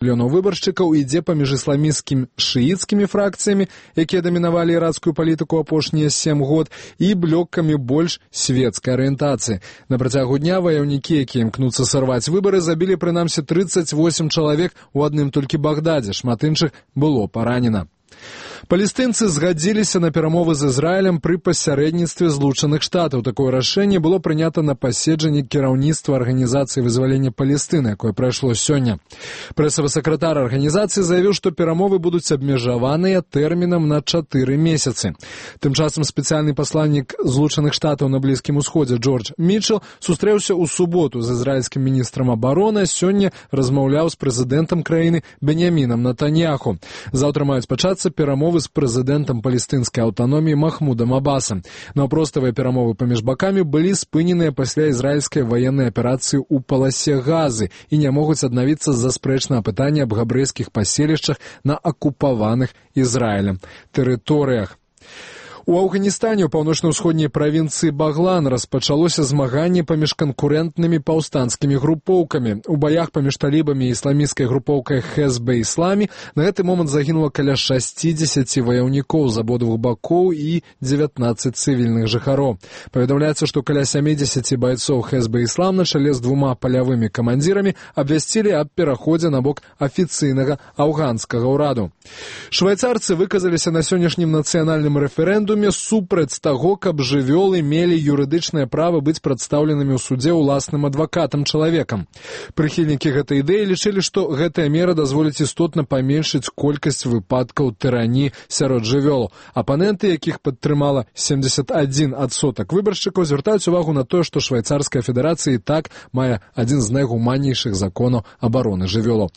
мільёнаў выбаршчыкаў ідзе паміж ісламісцкімі шыіцкімі фракцыямі, якія дамінавалі ірацкую палітыку апошнія 7 год, і блёкамі больш светскай арыентацыі. На працягу дня ваяўнікі, якія імкнуцца сарваць выбары, забілі прынамсі 38 чалавек у адным толькі Багдадзе, шмат іншых было паранена. Палестынцы згадзіліся на перамовы з Ізраілем пры пасярэдніцтве Злучаных Штатаў. Такое рашэнне было прынята на паседжанні кіраўніцтва Арганізацыі вызвалення Палестыны, якое прайшло сёння. Прэсавы сакратар арганізацыі заявіў, што перамовы будуць абмежаваныя тэрмінам на 4 месяцы. Тым часам спецыяльны пасланнік Злучаных Штатаў на Блізкім Усходзе Джордж Мітчел сустрэўся ў суботу з ізраільскім міністрам абароны, сёння размаўляў з прэзідэнтам краіны Беньямінам Нетаньяху. Заўтра маюць пачацца перамовы з прэзідэнтам палестынскай аўтаноміі Махмудам Абасам. Наўпроставыя перамовы паміж бакамі былі спыненыя пасля ізраільскай ваеннай аперацыі ў паласе Газы і не могуць аднавіцца з-за спрэчнага пытання аб габрэйскіх паселішчах на акупаваных Ізраілем тэрыторыях. У Афганістане ў паўночна-ўсходняй правінцыі Баглан распачалося змаганне паміж канкурэнтнымі паўстанцкімі групоўкамі. У баях паміж талібамі і ісламісцкай групоўкай Хезбе-Ісламі на гэты момант загінула каля 60 ваяўнікоў з абодвух бакоў і 19 цывільных жыхароў. Паведамляецца, што каля 70 байцоў Хезбе-Іслам на чале з 2 палявымі камандзірамі абвясцілі аб пераходзе на бок афіцыйнага афганскага ўраду. Швайцарцы выказаліся на сённяшнім нацыянальным рэферэндуме супраць таго, каб жывёлы мелі юрыдычнае права быць прадстаўленымі ў судзе ўласным адвакатам-чалавекам. Прыхільнікі гэтай ідэі лічылі, што гэтая мера дазволіць істотна паменшыць колькасць выпадкаў тырані сярод жывёлаў. Апаненты, якіх падтрымала 71% выбаршчыкаў, звяртаюць увагу на тое, што Швайцарская федэрацыя і так мае адзін з найгуманнейшых законаў абароны жывёлаў.